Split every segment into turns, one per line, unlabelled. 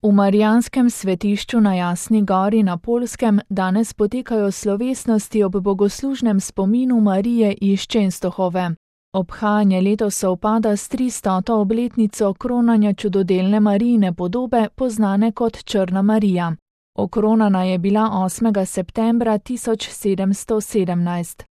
V Marijanskem svetišču na Jasni gori na Poljskem danes potekajo slovesnosti ob bogoslužnem spominu Marije iz Čenstohove. Obhajanje letos sovpada s 300. obletnico kronanja čudodelne Marijine podobe, poznane kot Črna Marija. Okronana je bila 8. septembra 1717.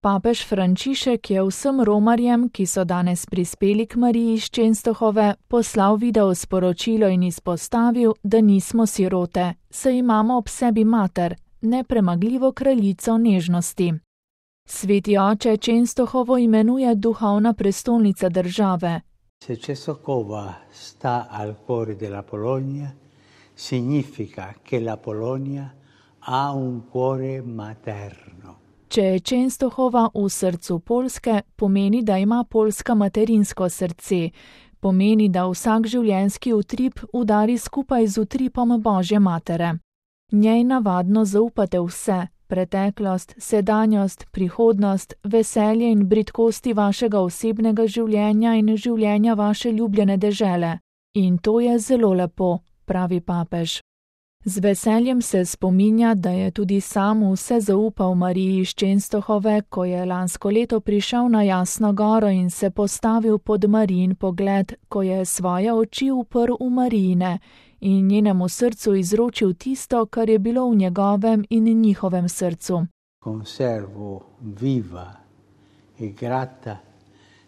Papež Frančišek je vsem romarjem, ki so danes prispeli k Mariji iz Čenstohove, poslal video sporočilo in izpostavil, da nismo sirote, saj imamo ob sebi mater, nepremagljivo kraljico nežnosti. Sveti oče Čenstohovo imenuje duhovna prestolnica države.
Se Częstochowa sta al cuore della Polonia, significa che la Polonia ha un cuore materno.
Če je Čenstohova v srcu Poljske, pomeni, da ima Poljska materinsko srce, pomeni, da vsak življenjski utrip udari skupaj z utripom Božje matere. Njej navadno zaupate vse, preteklost, sedanjost, prihodnost, veselje in bridkosti vašega osebnega življenja in življenja vaše ljubljene dežele. In to je zelo lepo, pravi papež. Z veseljem se spominja, da je tudi sam vse zaupal Mariji iz Čenstohove, ko je lansko leto prišel na Jasno goro in se postavil pod Marijin pogled, ko je svoje oči uprl v Marijine in njenemu srcu izročil tisto, kar je bilo v njegovem in njihovem srcu.
Conservo viva e grata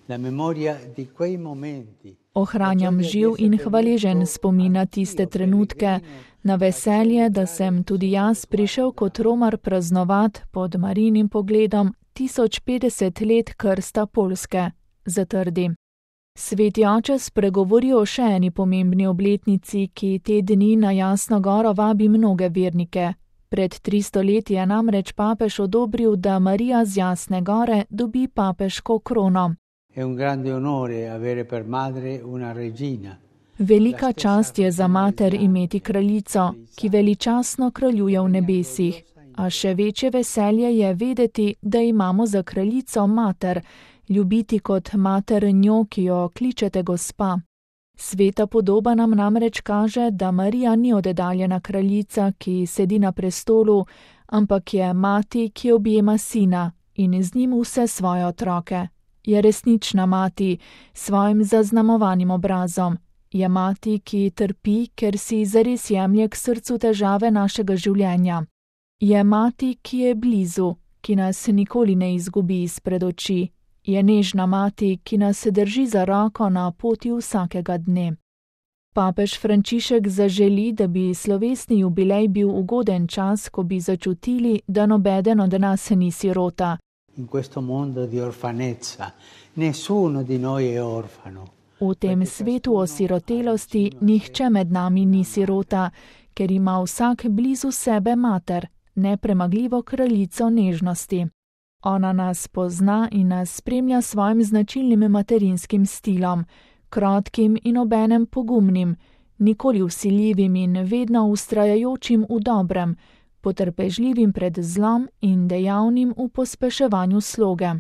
la memoria di quei momenti.
Ohranjam živ in hvaležen spomin na tiste trenutke, na veselje, da sem tudi jaz prišel kot Romar praznovat pod Marijinim pogledom 1050 let krsta Poljske, zatrdi. Sveti oče spregovori o še eni pomembni obletnici, ki te dni na Jasno goro vabi mnoge vernike. Pred 300 leti je namreč papež odobril, da Marija z Jasne gore dobi papeško krono.
È un grande onore avere per madre una regina.
Velika čast je za mater imeti kraljico, ki veličastno kraljuje v nebesih, a še večje veselje je vedeti, da imamo za kraljico mater, ljubiti kot mater njo, ki jo kličete gospa. Sveta podoba nam namreč kaže, da Marija ni oddaljena kraljica, ki sedi na prestolu, ampak je mati, ki objema sina in z njim vse svoje otroke. Je resnična mati s svojim zaznamovanim obrazom. Je mati, ki trpi, ker si zares jemlje k srcu težave našega življenja. Je mati, ki je blizu, ki nas nikoli ne izgubi izpred oči. Je nežna mati, ki nas drži za roko na poti vsakega dne. Papež Frančišek zaželi, da bi slovesni jubilej bil ugoden čas, ko bi začutili, da nobeden od nas ni sirota.
In questo mondo di orfanezza, nessuno di noi è orfano.
V tem svetu osirotelosti nihče med nami ni sirota, ker ima vsak blizu sebe mater, nepremagljivo kraljico nežnosti. Ona nas pozna in nas spremlja svojim značilnim materinskim stilom, krotkim in obenem pogumnim, nikoli vsiljivim in vedno vztrajajočim v dobrem, potrpežljivim pred zlom in dejavnim v pospeševanju sloge.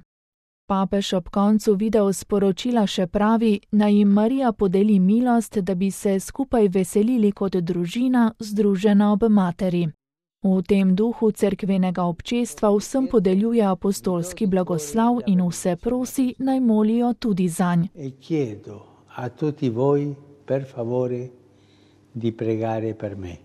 Papež ob koncu video sporočila še pravi, naj jim Marija podeli milost, da bi se skupaj veselili kot družina, združena ob materi. V tem duhu cerkvenega občestva vsem podeljuje apostolski blagoslav in vse prosi, naj molijo tudi zanj.
E chiedo a tutti voi, per favore, di pregare per me.